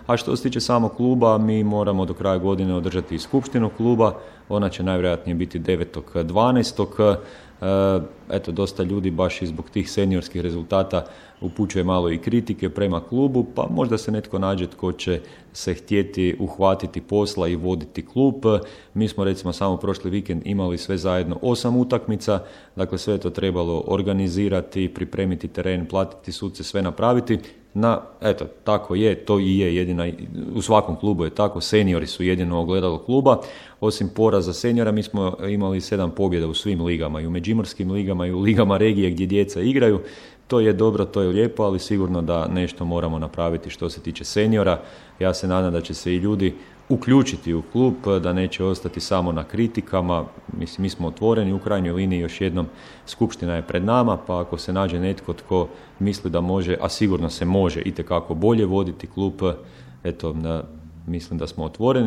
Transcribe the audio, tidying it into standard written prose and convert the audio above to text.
A što se tiče samog kluba, mi moramo do kraja godine održati i skupštinu kluba, ona će najvjerojatnije biti 9.12. Eto, dosta ljudi baš i zbog tih seniorskih rezultata upućuje malo i kritike prema klubu, pa možda se netko nađe tko će se htjeti uhvatiti posla i voditi klub. Mi smo recimo samo prošli vikend imali sve zajedno 8 utakmica, dakle sve je to trebalo organizirati, pripremiti teren, platiti suce, sve napraviti. Eto, tako je, to i je jedina, u svakom klubu je tako, seniori su jedino ogledalo kluba. Osim poraza seniora, mi smo imali 7 pobjeda u svim ligama, i u međimurskim ligama, i u ligama regije gdje djeca igraju. To je dobro, to je lijepo, ali sigurno da nešto moramo napraviti što se tiče seniora. Ja se nadam da će se i ljudi uključiti u klub, da neće ostati samo na kritikama. Mislim, mi smo otvoreni, u krajnjoj liniji još jednom skupština je pred nama, pa ako se nađe netko tko misli da može, a sigurno se može itekako bolje voditi klub, eto, mislim da smo otvoreni.